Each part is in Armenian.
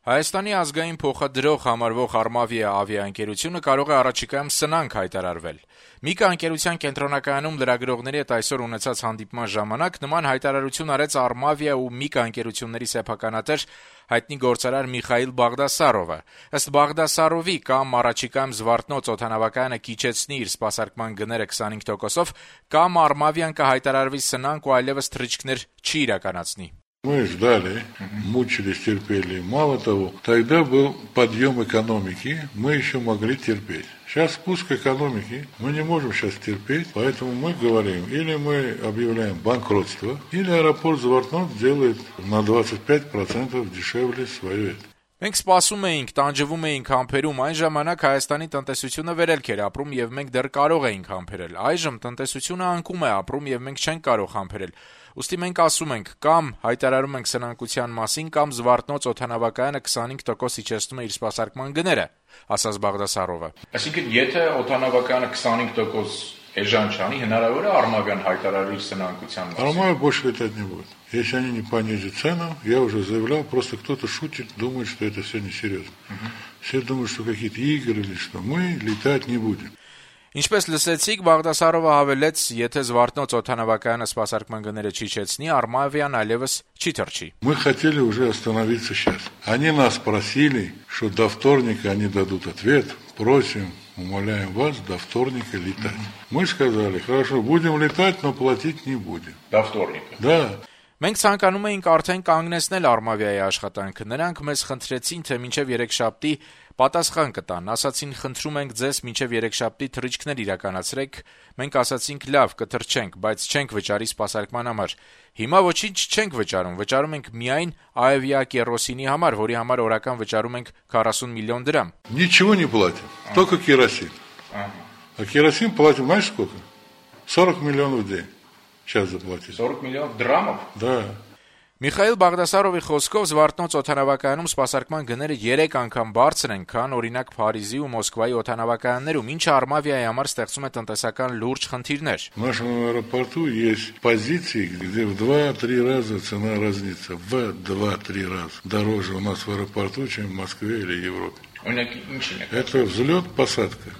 Հայաստանի ազգային փոխադրող համարվող «Արմավիա» ավիաընկերությունը կարող է առաջիկայում սնանկ հայտարարվել։ Միկա ընկերության կենտրոնակայանում լրագրողների հետ այսօր ունեցած հանդիպման ժամանակ նման հայտարարություն արեց «Արմավիա» ու «Միկա» ընկերությունների սեփականատեր հայտնի գործարար Միխայիլ Բաղդասարովը։ Ըստ Բաղդասարովի, կամ առաջիկայում Զվարթնոց օդանավակայանը կիչեցնի իր սպասարկման գները 25%-ով, կամ «Արմավիան» կհայտարարվի սնանկ ու այլևս թռիչքներ չի իրականացնի։ Мы ждали, мучились, терпели. Мало того, тогда был подъем экономики, мы еще могли терпеть. Сейчас спуск экономики, мы не можем сейчас терпеть, поэтому мы говорим, или мы объявляем банкротство, или аэропорт Звортнот делает на 25% дешевле свое это. Մենք սպասում էինք, տանջվում էինք համբերում, այն ժամանակ Հայաստանի տնտեսությունը վերելք էր ապրում եւ մենք դեռ կարող էինք համբերել։ Այժմ տնտեսությունը անկում է ապրում եւ մենք չենք կարող համբերել։ Ուստի մենք ասում ենք, կամ հայտարարում ենք սնանկության մասին, կամ Զվարթնոց օդանավակայանը 25% իջեցնում է իր սպասարկման գները, ասաց Բաղդասարովը։ Այսինքն, եթե օդանավակայանը 25% էժան չանի, հնարավոր է «Արմավիան» հայտարարի սնանկության մասին։ «Армавия» больше летать не будет. Если они не понизят цену, я уже заявлял, просто кто-то шутит, думает, что это все несерьезно. Все думают, что какие-то игры или что. Мы летать не будем. Ինչպես լսեցիք, Բաղդասարովը հավելեց, եթե Զվարթնոց օդանավակայանը սպասարկման գները չիջեցնի, «Արմավիան» այլևս չի թռչի։ Мы хотели уже остановиться сейчас. Они нас просили, что до вторника они дадут ответ. Просим, умоляем вас до вторника летать. Мы сказали, хорошо, будем летать, но платить не будем. До вторника. Да. Մենք ցանկանում էինք արդեն կանգնեցնել «Արմավիայի» աշխատանքը։ Նրանք մեզ խնդրեցին, թե մինչև երեքշաբթի պատասխան կտան, ասացին խնդրում ենք ձեզ մինչև երեքշաբթի թռիչքներ իրականացրեք, մենք ասացինք լավ, կթռչենք, բայց չենք վճարի սպասարկման համար։ Հիմա ոչինչ չենք վճարում, վճարում ենք միայն ավիակերոսինի համար, որի համար օրական վճարում ենք 40 միլիոն դրամ։ Ничего не платим, только керосин. А керосин платим, знаешь сколько? 40 миллионов в день. Сейчас заплатить. 40 миллионов դրամով։ Да. Միխայիլ Բաղդասարովի խոսքով Զվարթնոց օդանավակայանում սպասարկման գները 3 անգամ բարձր են, քան օրինակ Փարիզի ու Մոսկվայի օդանավակայաններում, ինչը «Արմավիայի» համար ստեղծում է տնտեսական լուրջ խնդիրներ։ В нашем аэропорту есть позиции, где в 2-3 раза цена разнится. В 2-3 раза дороже у нас в аэропорту, чем в Москве или Европе. Это взлет-посадка.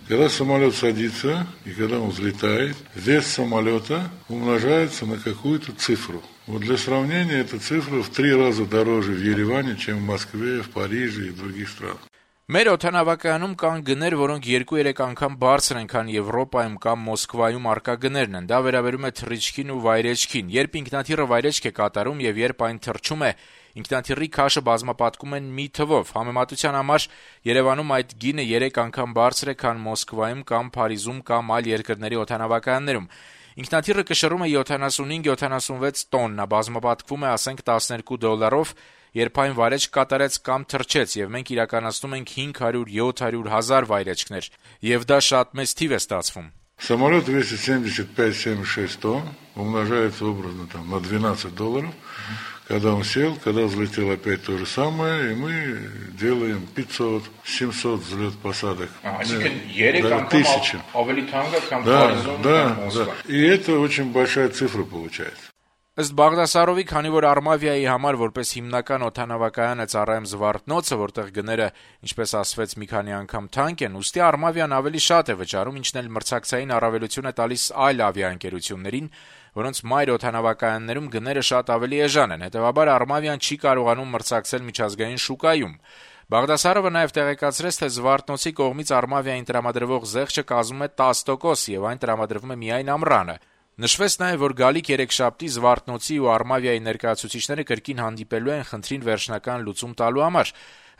Когда самолет садится и когда он взлетает, вес самолета умножается на какую-то цифру. Вот для сравнения, эта цифра в 3 раза дороже в Ереване, чем в Москве, в Париже и в других странах. Մեր օդանավակայանում կան գներ, որոնք 2-3 անգամ բարձր են, քան Եվրոպայում կամ Մոսկվայում առկա գներն են։ Դա վերաբերում է թռիչքին ու վայրեջքին։ Երբ ինքնաթիռը վայրեջք է կատարում եւ երբ այն թռչում է, ինքնաթիռի քաշը բազմապատկում են մի թվով։ Համեմատության համար Երևանում այդ գինը 3 անգամ բարձր է, քան Մոսկվայում կամ Փարիզում կամ այլ երկրների օդանավակայաններում։ Ինքնաթիռը կշռում է 75-76 տոննա, բազմապատկվում է, ասենք, $12, երբ այն վայրեջք կատարեց կամ թռչեց, եւ մենք իրականացնում ենք 500-700 վայրեջքներ, եւ դա շատ մեծ թիվ է ստացվում։ Самолет весит 75-76 тонн, умножается образно там на $12. Когда он сел, когда взлетел, опять то же самое, и мы делаем 500-700 взлет-посадок. Тысячи. Да. И это очень большая цифра получается. Ըստ Բաղդասարովի, քանի որ «Արմավիայի» համար որպես հիմնական օդանավակայան է ծառայում Զվարթնոցը, որտեղ գները, ինչպես ասվեց, մի քանի անգամ թանկ են, ուստի «Արմավիան» ավելի շատ է վճարում, ինչն էլ մրցակցային առավելություն է տալիս այլ ավիաընկերություններին, որոնց մայր օդանավակայաններում գները շատ ավելի էժան են։ Հետևաբար «Արմավիան» չի կարողանում մրցակցել միջազգային շուկայում։ Բաղդասարովը նաև տեղեկացրեց, թե Զվարթնոցի կողմից «Արմավիային» տրամադրվող զեղչը կազմում է 10% եւ այն տրամադրվում է միայն ամռանը։ Նշվեց նաև, որ գալիք երեքշաբթի Զվարթնոցի ու «Արմավիայի» ներկայացուցիչները կրկին հանդիպելու են խնդրին վերջնական լուծում տալու համար։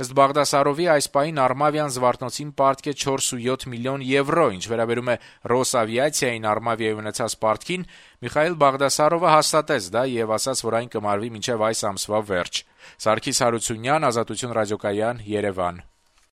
Ըստ Բաղդասարովի, այս պահին «Արմավիան» Զվարթնոցին պարտք է 4.7 միլիոն եվրո, ինչ վերաբերում է «Ռոսավիացիային» «Արմավիայի» ունեցած պարտքին, Միխայիլ Բաղդասարովը հաստատեց դա եւ ասաց, որ այն կմարվի մինչեւ այս ամսվա վերջ։ Սարգիս Հարությունյան, Ազատություն ռադիոկայան, Երևան։